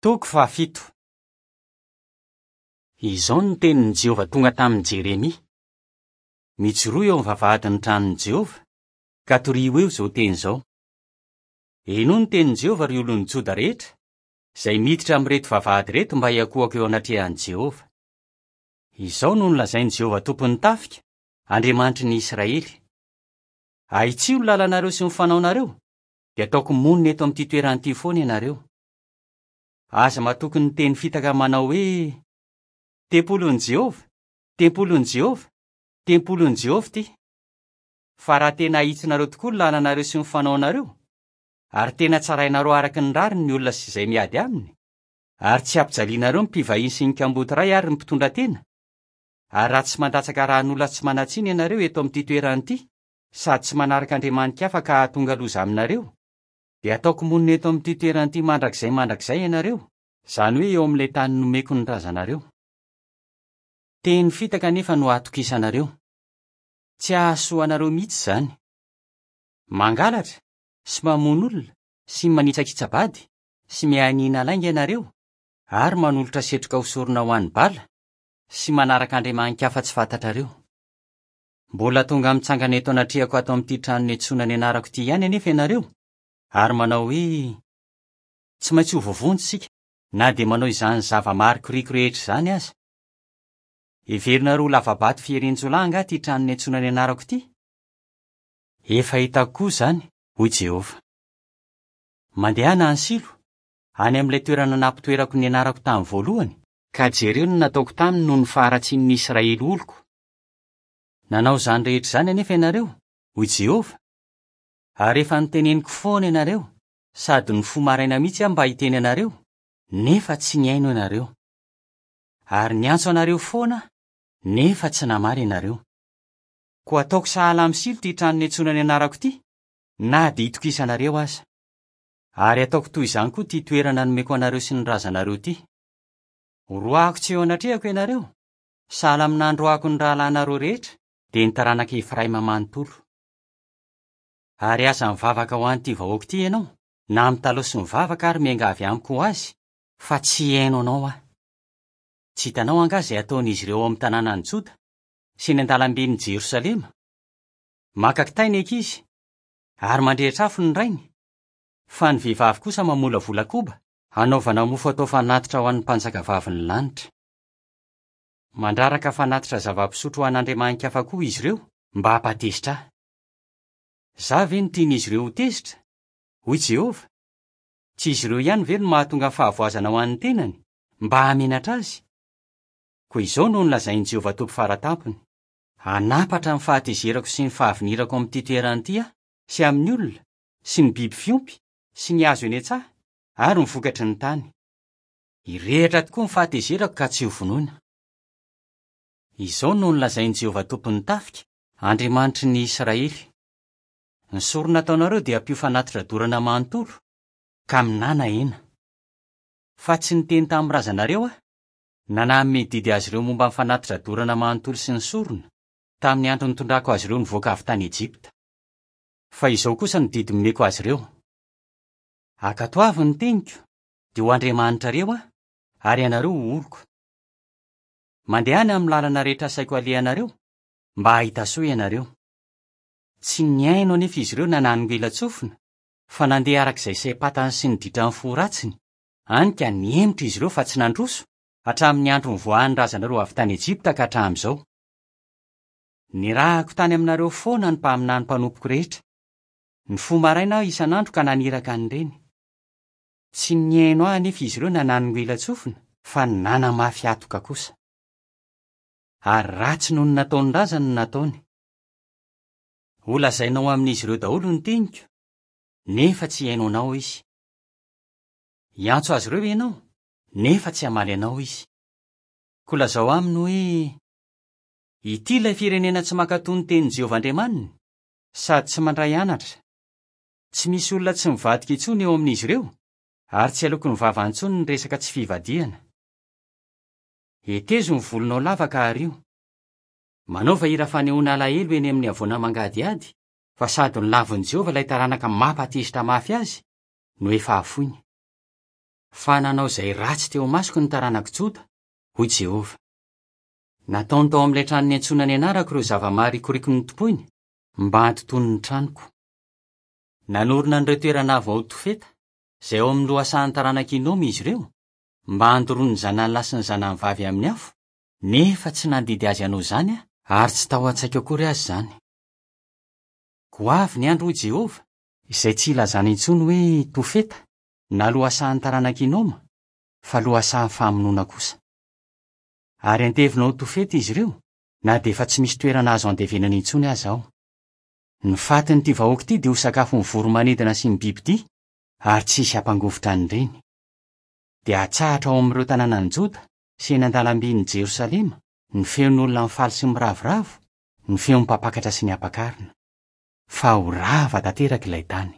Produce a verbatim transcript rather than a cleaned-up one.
Toko fahafito. Izao no tenin'i Jehovah tonga tamin'i Jeremia. Mijoroa eo amin'ny vavahadin'ny tranon'i Jehovah, ka torio eo izao teny izao. Henoy ny tenin'i Jehovah ry olon'ny Joda rehetra, izay miditra amin'ireto vavahady ireto mba hiankohoka eo anatrehan'i Jehovah. Izao no nolazain'i Jehovah tompon'ny tafika, Andriamanitry ny Israely. Ahitsio ny lalanareo sy ny fanaonareo, dia ataoko monina eto amin'ity toerana ity foana ianareo. Aza matoky ny teny fitaka manao hoe tempolin'i Jehovah, tempolin'i Jehovah, tempolin'i Jehovah ity. Fa raha tena ahitsinareo tokoa ny lalanareo sy ny fanaonareo, ary tena tsarainareo araka ny rariny ny olona sy izay miady aminy, ary tsy ampijalianareo ny mpivahiny sy ny kamboty iray ary ny mpitondra tena, ary raha tsy mandatsaka ràn'olona tsy manan-tsiny ianareo eto amin'ity toerana ity, sady tsy manaraka andriamani-kafa ka hahatonga loza aminareo, dia ataoko monina eto amin'ity toerana ity mandrakizay mandrakizay ianareo, izany hoe eo amin'ilay tany nomeko ny razanareo. Teny fitaka anefa no ahatokisanareo. Tsy hahasoa anareo mihitsy izany. Mangalatra sy mamono olona sy manitsakitsa-bady sy mianiana lainga ianareo ary manolotra setroka ho sorona ho an'ny bala sy manaraka andriamani-kafa tsy fantatrareo. Mbola tonga mitsangana eto anatrehako ato amin'ity trano niantsoana ny anarako ity ihany anefa ianareo, ary manao hoe tsy maintsy ho voavonjy isika na dia manao izany zava-marikoriko rehetra izany aza. Heverinareo ho lava-bato fieren-jiolahy angaha ity trano niantsoana ny anarako ity? Efa hitako koa izany, hoy Jehovah. Mandehana any Silo, any amin'ilay toerana nampitoerako ny anarako tamin'ny voalohany, ka jereo ny nataoko taminy noho ny faharatsian'ny Israely oloko. Nanao izany rehetra izany anefa ianareo, hoy Jehovah, ary efa niteneniko foana ianareo, sady nifoha maraina mihitsy aho mba hiteny anareo, nefa tsy nihaino ianareo. Ary niantso anareo foana aho, nefa tsy namaly ianareo. Koa ataoko sahala amin'ny Silo ity trano niantsoana ny anarako ity, na dia itokisanareo aza. Ary ataoko toy izany koa ity toerana nomeko anareo sy ny razanareo ity. Horoahako tsy eo anatrehako ianareo, sahala amin'ny nandroahako ny rahalahinareo rehetra, dia ny taranak'i Efraima manontolo. Ary aza mivavaka ho an'ity vahoaka ity ianao, na mitalaho sy mivavaka ary miangavy amiko ho azy, fa tsy hihaino anao aho. Tsy hitanao angaha izay ataon'izy ireo ao amin'ny tanànan'i Joda sy ny an-dalamben'i Jerosalema? Maka kitay ny ankizy ary mandrehitra afo ny rainy, fa ny vehivavy kosa mamolavola koba hanaovana mofo atao fanatitra ho an'ny mpanjakavavin'ny lanitra. Mandraraka fanatitra zava-pisotro ho an'andriamani-kafa koa izy ireo mba hampatezitra ahy. Izaho ve no tian'izy ireo ho tezitra? Hoy Jehovah. Tsy izy ireo ihany ve no mahatonga fahavoazana ho an'ny tenany mba hahamenatra azy? Koa izao no nolazain'i Jehovah Tompo faratampony: Hanapatra ny fahatezerako sy ny fahavinirako amin'ity toerana ity aho, sy amin'ny olona, sy ny biby fiompy, sy ny hazo eny an-tsaha, ary ny vokatry ny tany. Hirehitra tokoa ny fahatezerako ka tsy ho vonoina. Izao no nolazain'i Jehovah Tompon'ny tafika, Andriamanitry ny Israely. Ny sorona ataonareo dia ampio fanatitra dorana manontolo, ka minana hena. Fa tsy niteny tamin'ny razanareo aho, na nanome didy azy ireo momba ny fanatitra dorana manontolo sy ny sorona, tamin'ny andro nitondrako azy ireo nivoaka avy tany Ejipta. Fa izao kosa no didy nomeko azy ireo: Ankatoavy ny teniko, dia ho Andriamanitrareo aho, ary ianareo ho oloko. Mandehana amin'ny lalana rehetra asaiko alehanareo, mba hahita soa ianareo. Tsy nihaino anefa izy ireo na nanongilan-tsofina, fa nandeha araka izay saim-patany sy ny ditran'ny fo ratsiny, hany ka nihemotra izy ireo fa tsy nandroso, hatramin'ny andro nivoahan'ny razanareo avy tany Ejipta ka hatramin'izao. Nirahako tany aminareo foana ny mpaminany mpanompoko rehetra. Nifoha maraina aho isan'andro ka naniraka an'ireny. Tsy nihaino ahy anefa izy ireo na nanongilan-tsofina, fa nanamafy hatoka kosa. Ary ratsy noho ny nataon'ny razany no nataony. Holazainao amin'izy ireo daholo ny teniko, nefa tsy hihaino anao izy. Hiantso azy ireo ianao, nefa tsy hamaly anao izy. Koa lazao aminy hoe: Ity ilay firenena tsy mankatò ny tenin'i Jehovah Andriamaniny, sady tsy mandray anatra. Tsy misy olona tsy mivadika intsony eo amin'izy ireo, ary tsy aloky ny vava intsony ny resaka tsy fivadihana. Hetezo ny volonao lava ka ario. Manaova hira fanehoana alahelo eny amin'ny havoana mangadihady, fa sady nolavin'i Jehovah ilay taranaka mampatezitra mafy azy no efa hafoiny. Fa nanao izay ratsy teo imasoko ny taranak'i Joda, hoy Jehovah. Nataony tao amin'ilay trano niantsoana ny anarako ireo zava-maharikoriko notompoiny mba handotoany ny tranoko. Nanorina an'ireo toerana avo ao Tofeta, izay ao amin'ny lohasahan'ny taranak'i Hinoma izy ireo, mba handoroany ny zanany lahy sy ny zanany vavy amin'ny afo, nefa tsy nandidy azy hanao izany aho, ary tsy tao an-tsaiko akory aza izany. Koa avy ny andro, hoy Jehovah, izay tsy hilazana intsony hoe Tofeta na lohasahan'ny taranak'i Hinoma, fa lohasahan'ny famonoana kosa. Ary antevina ao Tofeta izy ireo, na dia efa tsy misy toerana azo andevenana intsony aza ao. Ny fatin'ity vahoaka ity dia ho sakafon'ny voro-manidina sy ny bibidia, ary tsy hisy hampangovitra an'ireny. Dia hatsahatra ao amin'ireo tanànan'i Joda sy eny an-dalambin'i Jerosalema ny feon'olona mifaly sy miravoravo, ny feon'ny mpampakatra sy ny ampakarina. Fa ho rava tanteraka ilay tany.